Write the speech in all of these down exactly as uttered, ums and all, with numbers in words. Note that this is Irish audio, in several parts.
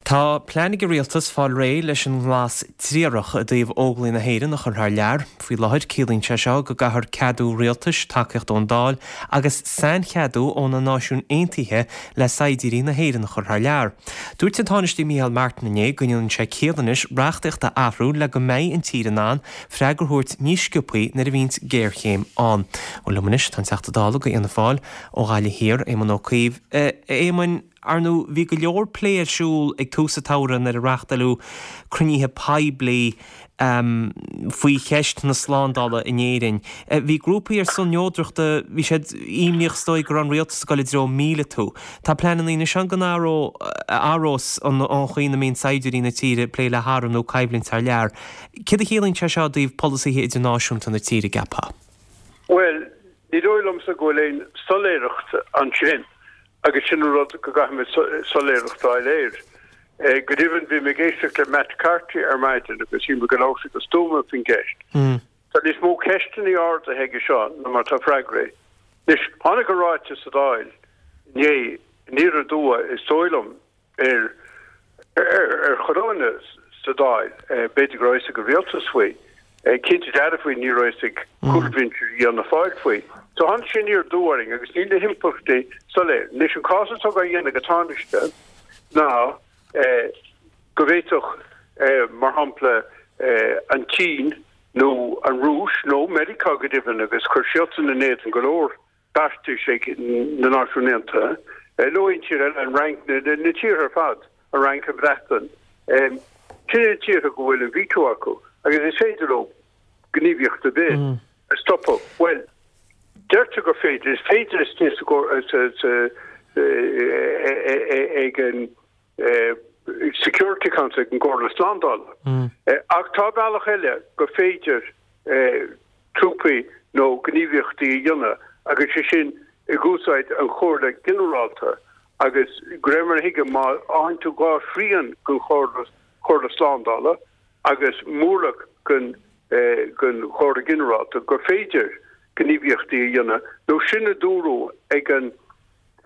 Tá plean ag an rialtas fáil réidh leis an nglas triarach i dtaobh Óglaigh na hÉireann a chur thar lear. Faoi láthair ciallaíonn sé seo go gcaithfear ceadú rialtais, tacaíocht ón Dáil agus saincheadú ó na Náisiúin Aontaithe le saighdiúirí na hÉireann a chur thar lear. Dúirt an Tánaiste Micheál Martin inné go ndéanann sé ciall anois reachtaíocht a athrú le go mbeidh an tír in ann freagra a thabhairt níos sciobthaí nuair a bhíonns géarchéim ann. Bhuel liom anois tá an Teachta Dála do Fhianna Fáil ó Ghaillimh Thiar, Éamon Ó Cuív. Éamoin, ar ndóigh bhí go leor plé ar siúl ag tús an tsamhraidh nuair a reáchtáladh cruinnithe poiblí um, faoi cheist na slándála in Éirinn. Bhí grúpaí ar son neodrachta, bhí siad imníoch is dóigh go raibh an rialtas ag dul i dtreo míleatú. Tá pleananna anois ann go n-athródh an chaoi ina mbíonn saighdiúirí na tíre ag plé le hairm nó coimhlint thar lear. Céard a chiallaíonn sé seo i dtaobh polasaithe idirnáisiúnta na tíre ceapfá? Well, ní dóigh liomsa go bhfuil aon soiléireacht ansin agus sin an rud go gcaithfimid soiléireacht a fháil air. Go deimhin bhí mé ag éisteacht le Matt Carthy ar maidin agus shíl mé go labhair sé go stuama faoin gceist. Tá níos mó ceisteanna ardaithe aige seo ná mar tá freagraí. Anois, tháinig an ráiteas sa Dáil inné aniar aduaidh is dóigh liom ar ar chuile dhuine sa Dáil, b'fhéidir go raibh fhios ag an rialtas faoi. Cinnte dearfa ní raibh fhios ag cúlbhinse Fhianna Fáil faoi. So tháinig sé aniar aduaidh orainn agus níl na himpleachtaí soiléir. Anois an cás atá á dhéanamh ag an Tánaiste ná go bhféadfadh, mar shampla, an tSín nó an Rúis nó Meiriceá go deimhin agus chuir siadsan in éadan go leor beartais ag na Náisiúin Aontaithe, nó aon tír eile, an Fhrainc, na tíortha ar fad, an Fhrainc, an Bhreatain, sin na tíortha go bhfuil an veto acu agus is féidir leo gníomhaíocht ar bith a stopadh. Bhuel, deirtear gur féidir, is féidir ag an Security Council, ag an gComhairle Slándála. Ach tá bealach eile gur féidir trúpaí nó gníomhaíochtaí a dhéanamh agus sé sin ag úsáid an Chomhairle Ginearálta agus de réir mar a thuigim má fhaigheann tú dhá thrian den Chomhairle Slándála agus mórlach den den Chomhairle Ginearálta gur féidir gníomhaíochtaí a dhéanamh nó sin a dúradh ag an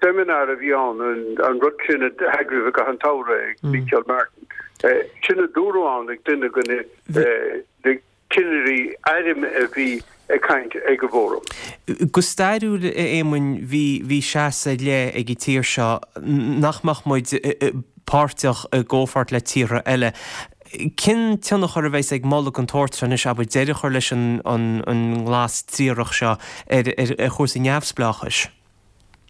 seimineár a bhí ann, an rud sin a eagraíodh i gcaitheamh an tsamhraidh ag Micheál Martin, sin a dúradh ann ag duine de na cinnirí airm a bhí ag caint ag an bhfóram. Go stairiúil, a Éamoin, bhí bhí seasamh ar leith ag an tír seo nach mbeadh muid páirteach i gcomhpháirt le tíortha eile. Cén tionchar a bheas ag moladh den tsórt seo anois, abair, deireadh a chur leis an nglas triarach seo ar chúrsaí neamhspleáchais?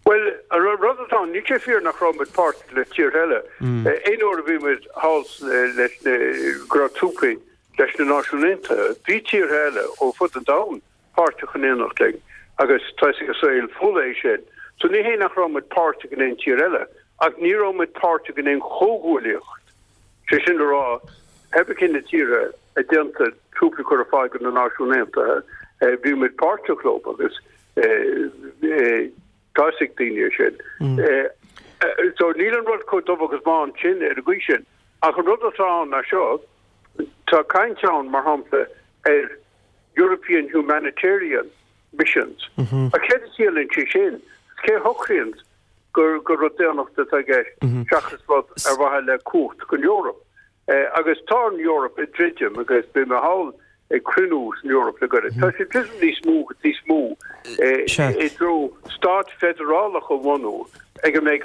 Bhuel, an rud atá ann, níl sé fíor nach raibh muid páirteach le tíortha eile. Aon uair a bhí muid thall leis na, go raibh trúpaí leis na Náisiúin Aontaithe, bhí tíortha eile ó fud an domhain páirteach in éineacht linn agus tá fhios ag an saol folaigh é sin. So ní hé nach raibh muid páirteach in aon tír eile, ach ní raibh muid páirteach in aon chomhghuaillíocht. Sé sin le rá, pé cé na tíortha a d'aontaigh trúpaí a chur ar fáil do na Náisiúin Aontaithe, bhí muid páirteach leo agus tá fhios ag daoine é sin. So níl an rud chomh dubh agus bán sin ar an gcaoi sin. Ach an rud atá ann ná seo, tá caint ann, mar shampla, ar European Humanitarian Missions. Ach céard a chiallaíonn sé sin? Cé a shocraíonn gur gur rud daonnachta atá i gceist seachas rud ar mhaithe le cumhacht don Eoraip? Agus tá an Eoraip ag druidim agus beidh mé thall ag cruinniú san Eoraip le gairid. Tá sé ag druidim níos mó agus níos mó i dtreo stát feidearálach a bhunú ag a mbeidh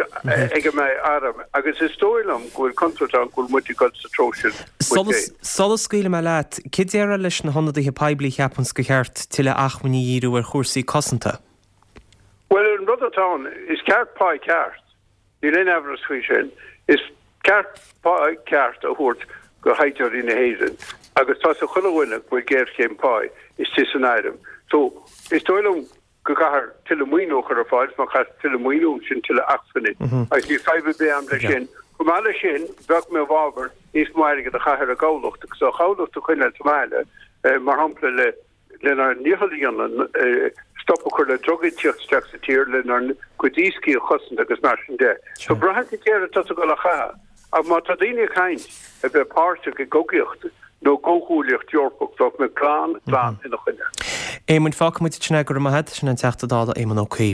ag a mbeidh arm agus is dóigh liom go bhfuil contúirt ann go bhfuil muid ag dul sa treo sin muid féin. Sula scaoilfidh mé leat, céard a déarfá leis na hionadaithe poiblí a cheapanns gur cheart tuilleadh acmhainní a dhíriú ar chúrsaí cosanta? Bhuel, an rud atá ann, is ceart pá ceart. Níl aon amhras faoi sin. Is ceart pá ceart a thabhairt do shaighdiúirí na hÉireann agus tá fhios ag chuile dhuine go bhfuil géarchéim páí istigh san airm. So, is dóigh liom go gcaithfear tuilleadh maoiniú a chur ar fáil, má chaithfear tuilleadh maoiniú, sin tuilleadh acmhainní. Agus níl fadhb ar bith agam leis sin. Chomh maith leis sin, bheadh mé i bhfabhar níos mó airgid a chaitheamh ar an gcabhlach agus an chabhlach a choinneáil sa mbaile, mar shampla le lenár ndícheall a dhéanamh stop a chur le drugaí tíocht isteach sa tír, lenár gcuid iascaigh a chosaint agus mar sin de. So braitheann sé céard atá tú ag dul a chaitheamh. Ach má tá daoine ag caint a bheith páirteach i gcogaíocht nó gcomhghuaillíocht Eorpach, bheadh mé glan, glan ina choinne. Éamoin, fágfaidh muid ansin é, go raibh maith agat. Sin an Teachta Dála Éamon Ó Cuív.